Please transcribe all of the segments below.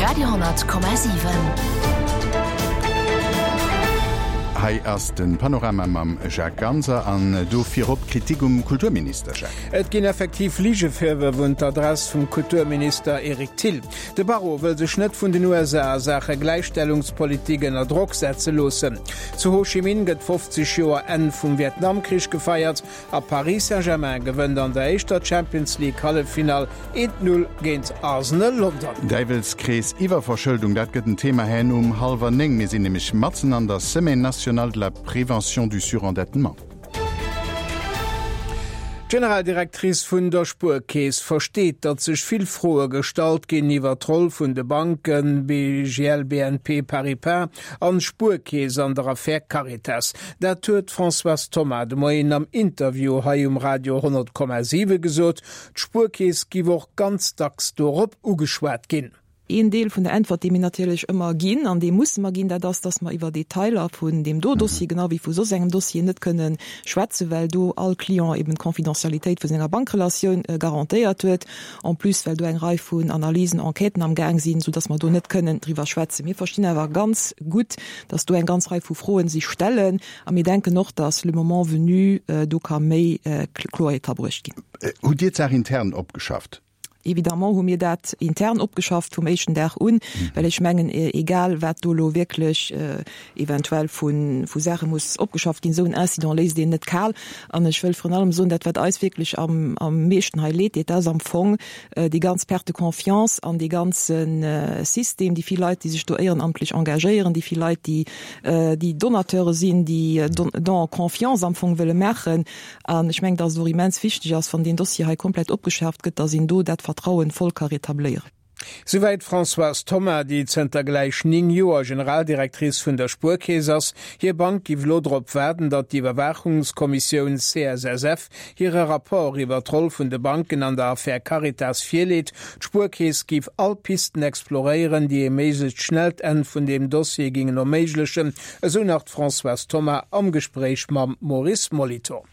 Radio 10,7. Hei ass de Panorama mam Jacques Ganser an do virop Kritik um Kulturminister, Jacques. Et ginn effektiv Ligevirwërf un d'Adress vum Kulturminister Eric Thill. De Barrot wëll sech net vun den USA a Saache Gläichstellungspolitik ënner Drock setze loossen. Zu Ho Chi Minh gëtt 50 Joer Enn vum Vietnamkrich gefeiert. A Paris Saint-Germain gewënnt an der éischter Champions League Halleffinall 1, 0 géint Arsenal London. Däiwelskrees Iwwerverschëldung, dat gëtt en Thema herno um hallwer 9. Mir sinn nämlech matzen an der Semaine nationale de la prévention du surendettement. D'Generaldirectrice vun der Spuerkeess versteet, datt sech vill Froe gestallt ginn iwwer d'Roll vun de Banken BGL, BNP Paribas an Spuerkeess an der Affär Caritas. Dat huet d'Françoise Thoma de Moien am Interview hei um Radio 100,7 gesot. D'Spuerkeess giff och ganz dacks dorop ugeschwat ginn. Een Deel vun der Äntwert, dee mir natierlech ëmmer ginn an dee musse mer ginn, dat ass, dass mer iwwer Detailer vun deem do Dossier, genau wéi vu soss engem Dossier, net kënne schwätzen, well do all Client eben d'Confidentialitéit vu senger Bankrelatioun garantéiert huet. En plus, well do eng Rei vun Analysen, Enquêten am Gaang sinn, soudass mer do net kënnen driwwer schwätzen. Mir verstinn awer ganz gutt, dass do eng ganz Rei vu Froen sich stellen a mir denken och, dass le moment venu do ka méi Kloerheet ka bruecht ginn. Hutt Dir d'Saach intern opgeschafft? Évidemment hu mir dat intern opgeschafft vum éischten Dag un, well ech mengen, egal wat do elo wierklech eventuell vu Saache muss opgeschafft ginn, esou en Incident léisst een net kal. An ech wëll virun allem soen, dat wat eis wierklech am meeschten hei leed deet, dat ass am Fong déi ganz Perte de confiance an dee ganze System, déi vill Leit, déi sech do éierenamtlech engagéieren, déi vill Leit, déi déi Donateure sinn, déi Don en confiance am Fong wëlle maachen. An ech mengen, dass et och immens wichteg ass, wann deen Dossier hei komplett opgeschaaft gëtt, dass een do dat Vertrauen voll ka rétabléieren. Souwäit d'Françoise Thoma, déi zënter gläich 9 Joer Generaldirectrice vun der Spuerkeess ass. Hir Bank giff elo drop waarden, datt d'Iwwerwaachungskommissioun CSSF hire Rapport iwwer d'Roll vun de Banken an der Affär Caritas virleet. D'Spuerkeess giff all Pisten exploréieren, déi ee méiglechst schnellt Enn vun deem Dossier gingen erméiglechen, esou nach d'Françoise Thoma am Gespréich mam Maurice Molitor.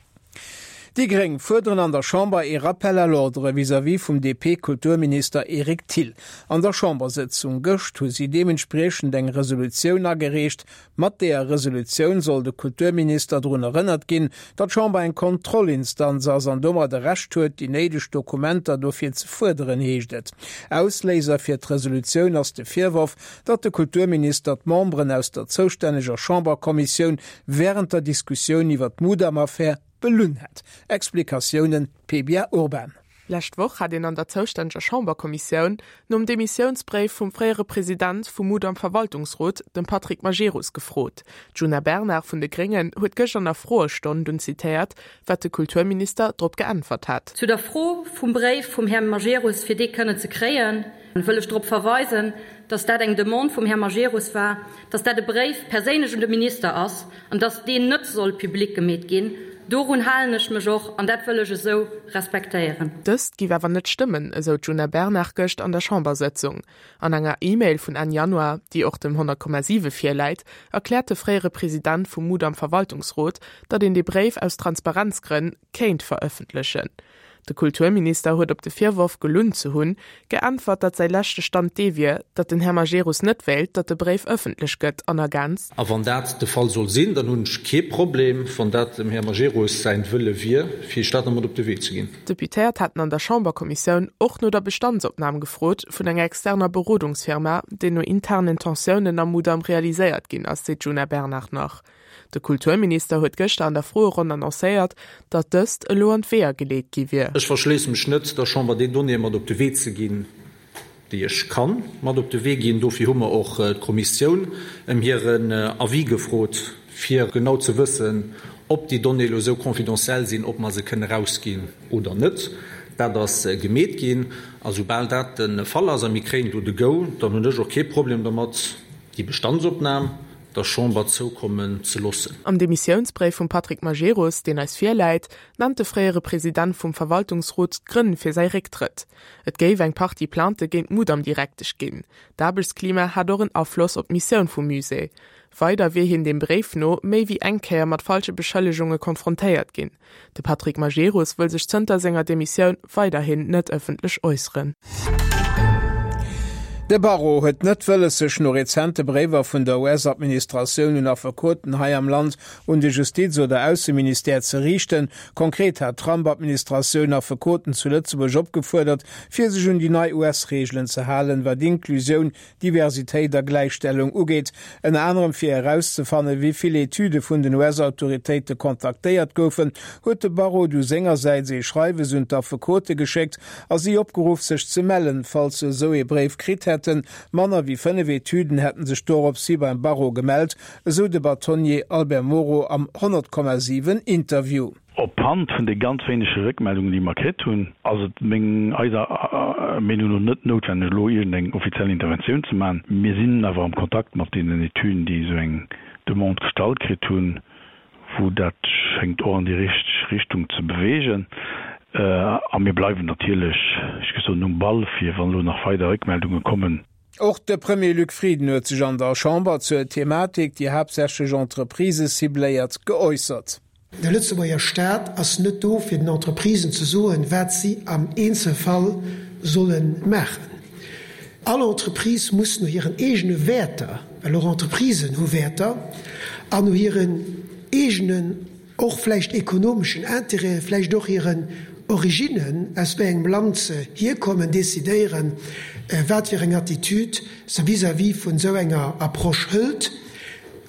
Déi Gréng fuerderen an der Chamber ee Rappel à l'ordre vis-à-vis vum DP-Kulturminister Eric Thill. An der Chambersëtzung gëscht hu si deementspriechend eng Resolutioun agereecht. Mat deeër Resolutioun soll de Kulturminister drun erënnert ginn, datt d'Chamber eng Kontrollinstanz ass an domat e Recht huet, déi néideg Dokumenter dofir ze fuerderen, heescht et. Ausléiser fir d'Resolutioun ass de Virworf, datt de Kulturminister d'Memberen aus der zoustänneger Chamberkommissioun wärend der Diskussioun iwwer d'Mudam-Affär belunn hätt. Explikatiounen, Pebia Urban. Lescht Woch hat een an der zoustänneger Chamberkommissioun nom Demissiounsbréif vum fréiere President vum Mudam-Verwaltungsrot, dem Patrick Majerus, gefrot. D'Djuna Bernard vun de Gréngen huet gëscht an der Froestonn dunn zitéiert, wat de Kulturminister drop geäntwert hat. Zu der Fro vum Bréif vum Här Majerus, fir dee kënnen ze kréien, wëll ech drop verweisen, dass dat eng Demande vum Här Majerus war, dass dat e Bréif perséinlech un de Minister ass an dass deen net soll public gemeet ginn. Dorun halen ech mech och an dat wëll ech esou respektéieren. Dëst géif awer net stëmmen, esou d'Djuna Bernard gëscht an der Chambersëtzung. An enger E-Mail vun Enn Januar, déi och dem 100,7 virläit, erkläert de fréiere President vum Mudam-Verwaltungsrot, datt een dee Bréif aus Transparenzgrënn kéint verëffentlechen. De Kulturminister huet op de Virworf, gelunn ze hunn, geäntwert, datt säi leschte Stand dee wier, datt den Här Majerus net wéilt, datt de Bréif ëffentlech gëtt an ergänzt. A wann dat de Fall soll sinn, dann hunn ech kee Problem, wann dat dem Här Majerus säin Wëlle wier, fir Iech dat nach mat op de Wee ze ginn. D'Deputéiert haten an der Chamberkommissioun och no der Bestandsopnam gefrot vun enger externer Berodungsfirma, déi no internen Tensiounen am Mudam realiséiert ginn ass, seet d'Djuna Bernard nach. De Kulturminister huet gëschter an der Froeronn annoncéiert, datt dëst elo an d'Weeër geleet gi wier. Ech verschléisse mech net, der Chamber déi Donnéeë mat op de Wee ze ginn, déi ech ka mat op de Wee ginn. Dofir hu mer och d'Kommissioun ëm hiren Avis gefrot, fir genau ze wëssen, ob déi Donnéeë elo esou confidentiel sinn, ob mer se kënne erausginn oder net. Dat ass gemeet ginn. A soubal dat de Fall ass a mir kréien do de Go, dann hunn ech och kee Problem dermat, déi Bestandsopnam der Chamber zoukommen ze loossen. Am Demissiounsbréif vum Patrick Majerus, deen eis virläit, nennt de fréiere President vum Verwaltungsrot d'Grënn fir säi Récktrëtt. Et géif eng Partie Plaintë géint d'Mudam-Direktesch ginn. D'Aarbechtsklima hat och en Afloss op d'Missioun vum Musée. Weider wier hien dem Bréif no méi wéi eng Kéier mat falsche Beschëllegunge konfrontéiert ginn. De Patrick Majerus wëll sech zënter senger Demissioun weiderhin net ëffentlech äusseren. De Barreau huet net wëlles sech no rezente Bréiwer vun der US-Administratioun un Affekoten hei am Land un de Justiz oder Ausseministère ze riichten. Konkret hat d'Trump-Administratioun Affekoten zu Lëtzebuerg opgefuerdert, fir sech un déi nei US-Reegelen ze halen, wat Inklusioun, Diversitéit a Gläichstellung ugeet, ënner anerem fir erauszefannen, wéi vill Etüde vun den US-Autoritéite kontaktéiert goufen, huet de Barreau du sengersäits ee Schreiwes un d'Affekote geschéckt a si opgeruff, sech ze mellen, falls se esou ee Bréif kritt hätten. Manner wéi 5 Etüden hätten sech doropshi beim Barreau gemellt, esou de Bâtonnier Albert Moro am 100,7 Interview. Op Hand vun de ganz wéinege Réckmeldungen, déi mer kritt hunn, ass et meng, eiser Meenung no net noutwenneg, elo iergendeng offiziell Interventioun ze maachen. Mir sinn awer am Kontakt mat deenen Etüden, déi esou eng Demande gestallt kritt hunn, wou dat schéngt och an déi richteg Richtung ze beweegen. A mir bleiwen natierlech, ech géif soen, um Ball, fir wann elo nach weider Réckmeldunge kommen. Och de Premier Luc Frieden huet sech an der Chamber zur Thematik, déi haaptsächlech Entreprisë cibléiert, geäussert. De Lëtzebuerger Staat ass net do, fir den Entreprisen ze soen, wat si am Eenzelfall solle maachen. All Entreprise muss no hiren eegene Wäerter, well och Entreprisen hu Wäerter, an no hiren eegenen, och vläicht ekonomeschen Intérêten, vläicht och hiren Originnen, aus wéi engem Land se hierkommen, decidéieren, wat fir eng Attitude se vis-à-vis vun esou enger Approche hëlt.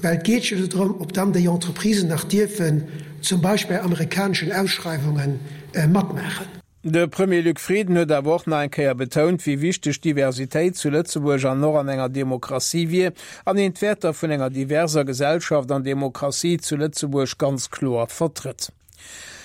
Well et geet jo do drëm, ob dann déi Entreprisen nach dierfen zum Beispill bei amerikaneschen Ausschreiwunge matmaachen. De Premier Luc Frieden huet awer och nach eng Kéier betount, wéi wichteg Diversitéit zu Lëtzebuerg an och an enger Demokratie wier an een d'Wäerter vun enger diverser Gesellschaft an Demokratie zu Lëtzebuerg ganz kloer vertrëtt.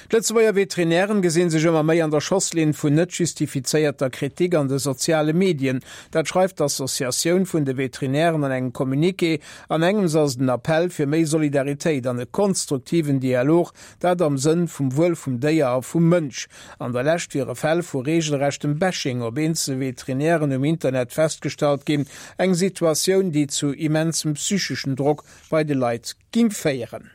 D'Lëtzebuerger Veterinären gesinn sech ëmmer méi an der Schosslinn vun net justifizéierter Kritik an de soziale Medien. Dat schreift d'Associatioun vun de Veterinären an engem Communiqué. An engems ass et en Appell fir méi Solidaritéit an e konstruktiven Dialog, dat am Sënn vum Wuel vum Déier a vum Mënsch. An der Lescht wiere Fäll vu reegelrechtem Bashing op eenzel Veterinären um Internet festgestallt ginn, eng Situatioun, déi zu immensem psycheschen Drock bei de Leit Ging féieren.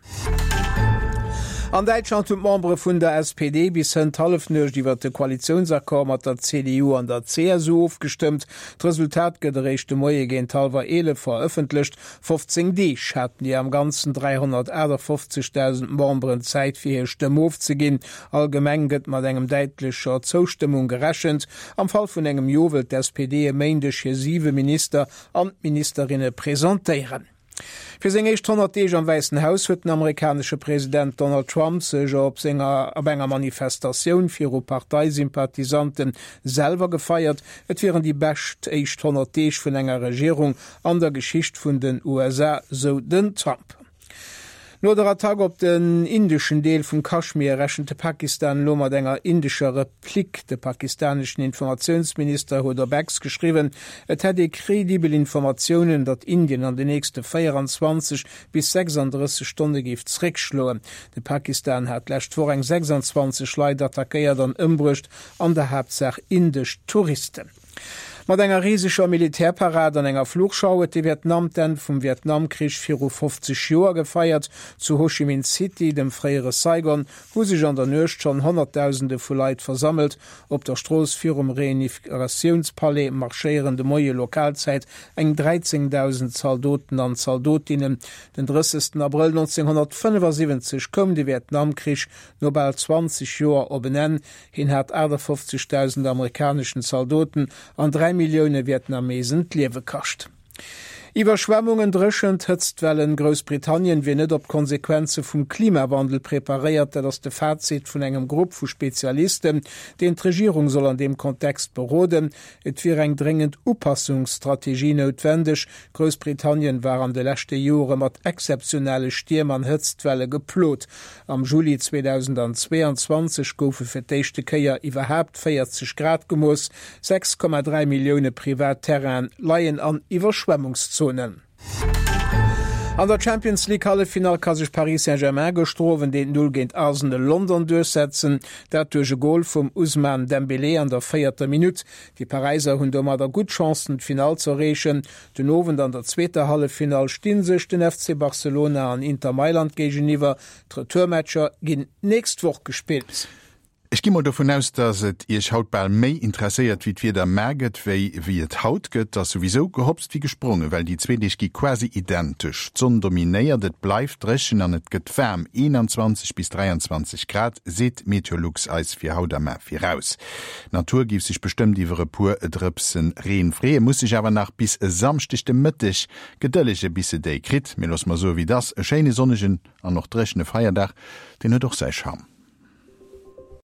An Däitschland hunn d'Membere vun der SPD bis hënt Hallefnuecht iwwer de Koalitiounsaccord mat der CDU an der CSU ofgestëmmt. D'Resultat gëtt eréischt de Moie géint hallwer 11 verëffentlecht. 15 Deeg haten déi am Ganzen 358.000 Memberen Zäit fir hir Stëmm ofzeginn. Allgemeng gëtt mat engem däitlecher Zoustëmmung gerechent. Am Fall vun engem Jo wëllt d'SPD e Méindeg hir siwe Minister an Ministerinne presentéieren. Fir seng éischt 100 Deeg am Wäissen Haus huet den amerikanesche President Donald Trump sech op senger op enger Manifestatioun viru Parteisympathisante selwer gefeiert. Et wieren déi bescht éischt 100 Deeg vun enger Regierung an der Geschicht vun den USA, sou den Trump. No der Attack op den indeschen Deel vum Kaschmir rechent de Pakistan elo mat enger indescher Replique. De pakistaneschen Informatiounsminister huet op X geschriwwen, et hätt ee credibel Informatiounen, datt Indien an de nächste 24 bis 36 Stonne géif zeréckschloen. De Pakistan hat d'lescht Woch eng 26 Leit attackéiert an ëmbruecht, an der Haaptsaach indesch Touristen. Mat enger riseger Militärparad an enger Flugschau huet de Vietnam d'Enn vum Vietnamkrich viru 50 Joer gefeiert. Zu Ho Chi Minh City, dem fréiere Saigon, hu sech an der Nuecht schonn Honnertdausende vu Leit versammelt. Op der Strooss virum Reunifikatiounspalais marschéieren de Moie Lokalzäit eng 13.000 Zaldoten an Zaldotinnen. Den 30 Abrëll 1975 koum de Vietnamkrich no bal 20 Joer op en Enn. Hien hat 58.000 amerikaneschen Zaldoten an 3 Millioune Vietnamesen d'Liewe kascht. Iwwerschwemmungen, Dréchent, Hëtztwellen, Groussbritannien wier net op d'Konsequenze vum Klimawandel preparéiert. Dat ass de Fazit vun engem Grupp vu Spezialisten, deen d'Regierung soll an deem Kontext beroden. Et wier eng dréngend Upassungsstrategie noutwendeg. Groussbritannien war an de leschte Jore mat exzeptionelle Stierm an Hëtztwelle geplot. Am Juli 2022 goufe fir d'éischte Kéier iwwerhaapt 40 Grad gemooss. 6,3 Millioune privat Terrainen leien an Iwwerschwemmungszonen. An der Champions League Halleffinall ka sech Paris Saint-Germain gëschter Owend 1, 0 géint Arsenal London duerchsetzen. Dat duerch e Gol vum Ousmane Dembélé an der véierter Minutt. Déi Paräiser hunn domadder gutt Chancen d'Finall z'erreechen. Den Owend an der zweeter Halleffinall sti sech den FC Barcelona an Inter Mailand géigeniwwer. D'Retourmatcher ginn d'nächst Woch gespillt. Ech gi mol dovun aus, dass et Iech haut bal méi interesséiert, wéi d'Wieder mar gëtt, wéi wéi et haut gëtt. Et ass souwisou gehopst wéi gesprongen, well déi zwee Deeg gi quasi identesch. D'Sonn dominéiert, et bleift dréchen an et gëtt waarm, 21 bis 23 Grad seet Meteolux eis fir haut a mar viraus. D'Natur géif sech bestëmmt iwwer e puer Drëpse Reen freeën, muss sech awer nach bis e Samschdeg de Mëtteg gedëllege bis se déi kritt. Mee loosse mer soe wéi et ass, e schéine sonnegen an och dréchene Feierdag, deen huet och säi Charme.